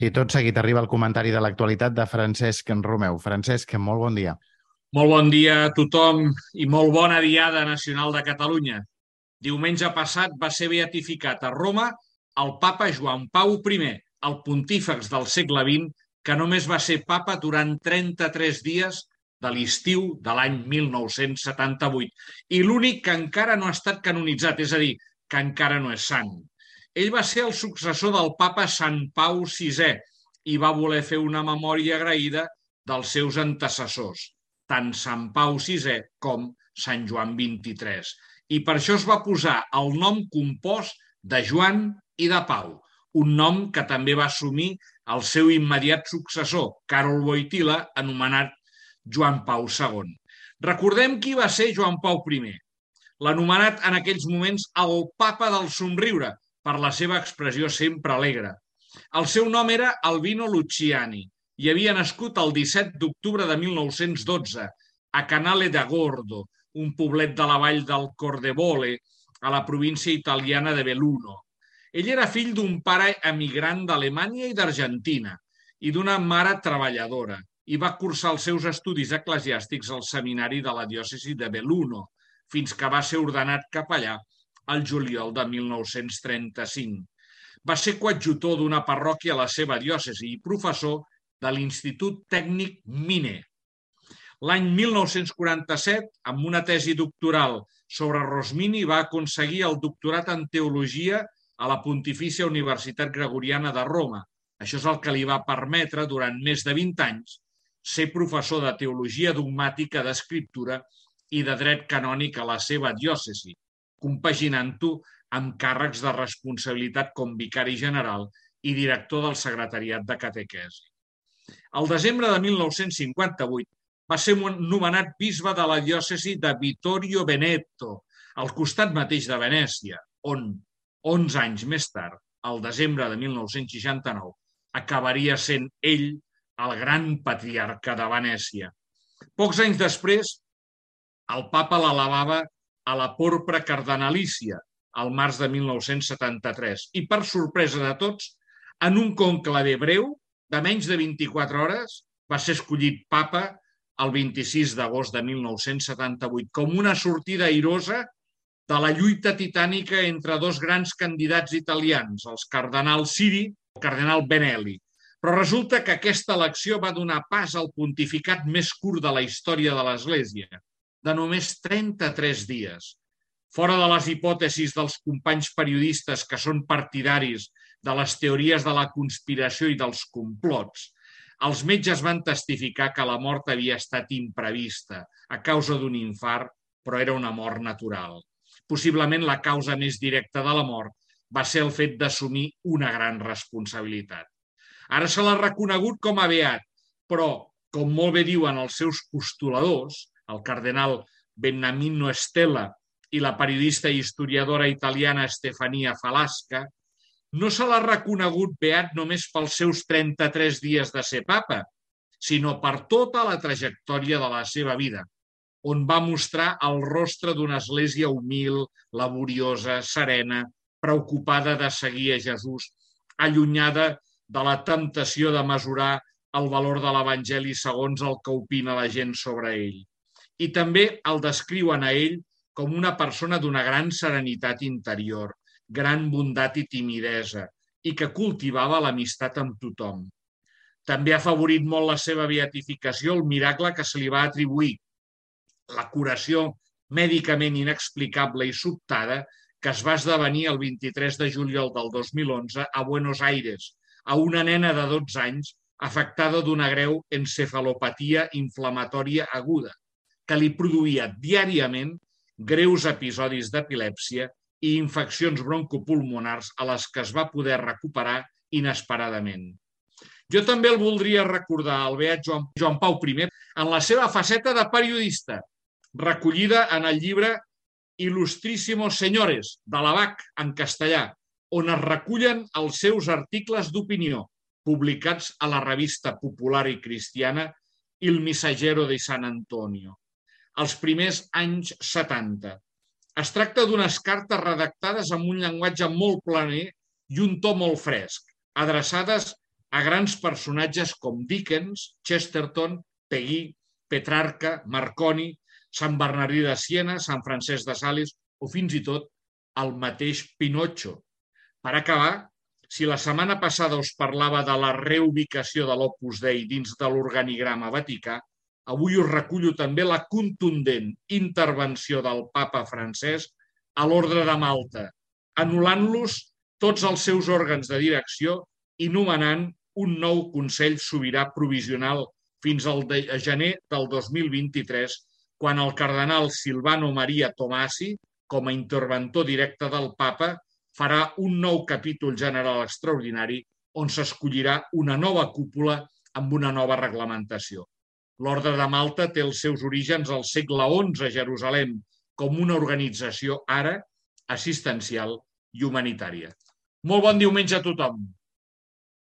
I tot seguit arriba el comentari de l'actualitat de Francesc Romeu. Francesc, molt bon dia. Molt bon dia a tothom i molt bona Diada Nacional de Catalunya. Diumenge passat va ser beatificat a Roma el papa Joan Pau I, el pontífex del segle XX, que només va ser papa durant 33 dies de l'estiu de l'any 1978 i l'únic que encara no ha estat canonitzat, és a dir, que encara no és sant. Ell va ser el successor del papa Sant Pau VI i va voler fer una memòria agraïda dels seus antecessors, tant Sant Pau VI com Sant Joan XXIII. I per això es va posar el nom compost de Joan i de Pau, un nom que també va assumir el seu immediat successor, Karol Wojtyła, anomenat Joan Pau II. Recordem qui va ser Joan Pau I, l'anomenat en aquells moments el papa del somriure, per la seva expressió sempre alegre. El seu nom era Albino Luciani i havia nascut el 17 d'octubre de 1912 a Canale d'Agordo, un poblet de la vall del Cordevole, a la província italiana de Belluno. Ell era fill d'un pare emigrant d'Alemanya i d'Argentina i d'una mare treballadora i va cursar els seus estudis eclesiàstics al seminari de la diòcesi de Belluno, fins que va ser ordenat capellà al juliol de 1935. Va ser coadjutor d'una parròquia a la seva diòcesi i professor de l'Institut Tècnic Miner. L'any 1947, amb una tesi doctoral sobre Rosmini, va aconseguir el doctorat en teologia a la Pontifícia Universitat Gregoriana de Roma. Això és el que li va permetre, durant més de 20 anys, ser professor de teologia dogmàtica, d'escriptura i de dret canònic a la seva diòcesi, compaginant-ho amb càrrecs de responsabilitat com vicari general i director del secretariat de catequesi. Al desembre de 1958 va ser nomenat bisbe de la diòcesi de Vittorio Veneto, al costat mateix de Venècia, on, 11 anys més tard, al desembre de 1969, acabaria sent ell el gran patriarca de Venècia. Pocs anys després, el papa l'elevava a la porpra cardenalícia, al març de 1973, i per sorpresa de tots, en un conclave breu, de menys de 24 hores, va ser escollit papa el 26 d'agost de 1978, com una sortida airosa de la lluita titànica entre dos grans candidats italians, els cardenal Siri i el cardenal Benelli. Però resulta que aquesta elecció va donar pas al pontificat més curt de la història de l'Església, de només 33 dies. Fora de les hipòtesis dels companys periodistes que són partidaris de les teories de la conspiració i dels complots, els metges van testificar que la mort havia estat imprevista a causa d'un infart, però era una mort natural. Possiblement la causa més directa de la mort va ser el fet d'assumir una gran responsabilitat. Ara se l'ha reconegut com a beat, però, com molt bé diuen els seus postuladors, el cardenal Beniamino Stella i la periodista i historiadora italiana Stefania Falasca, no se l'ha reconegut beat només pels seus 33 dies de ser papa, sinó per tota la trajectòria de la seva vida, on va mostrar el rostre d'una església humil, laboriosa, serena, preocupada de seguir a Jesús, allunyada de la temptació de mesurar el valor de l'Evangeli segons el que opina la gent sobre ell. I també el descriuen a ell com una persona d'una gran serenitat interior, gran bondat i timidesa, i que cultivava l'amistat amb tothom. També ha favorit molt la seva beatificació el miracle que se li va atribuir, la curació mèdicament inexplicable i sobtada que es va esdevenir el 23 de juliol del 2011 a Buenos Aires, a una nena de 12 anys afectada d'una greu encefalopatia inflamatòria aguda, que li produïa diàriament greus episodis d'epilèpsia i infeccions broncopulmonars a les que es va poder recuperar inesperadament. Jo també el voldria recordar, el beat Joan Pau I, en la seva faceta de periodista, recollida en el llibre Ilustrísimos Señores, de l'Abac, en castellà, on es recullen els seus articles d'opinió, publicats a la revista popular i cristiana Il Messaggero di San Antonio, als primers anys 70. Es tracta d'unes cartes redactades amb un llenguatge molt planer i un to molt fresc, adreçades a grans personatges com Dickens, Chesterton, Peggy, Petrarca, Marconi, Sant Bernardí de Siena, Sant Francesc de Sales o fins i tot el mateix Pinocchio. Per acabar, si la setmana passada us parlava de la reubicació de l'Opus Dei dins de l'organigrama vaticà, avui us recullo també la contundent intervenció del papa Francesc a l'Ordre de Malta, anul·lant-los tots els seus òrgans de direcció i nomenant un nou Consell Sobirà Provisional fins al gener del 2023, quan el cardenal Silvano Maria Tomasi, com a interventor directe del papa, farà un nou capítol general extraordinari on s'escollirà una nova cúpula amb una nova reglamentació. L'Ordre de Malta té els seus orígens al segle XI a Jerusalem com una organització ara assistencial i humanitària. Molt bon diumenge a tothom!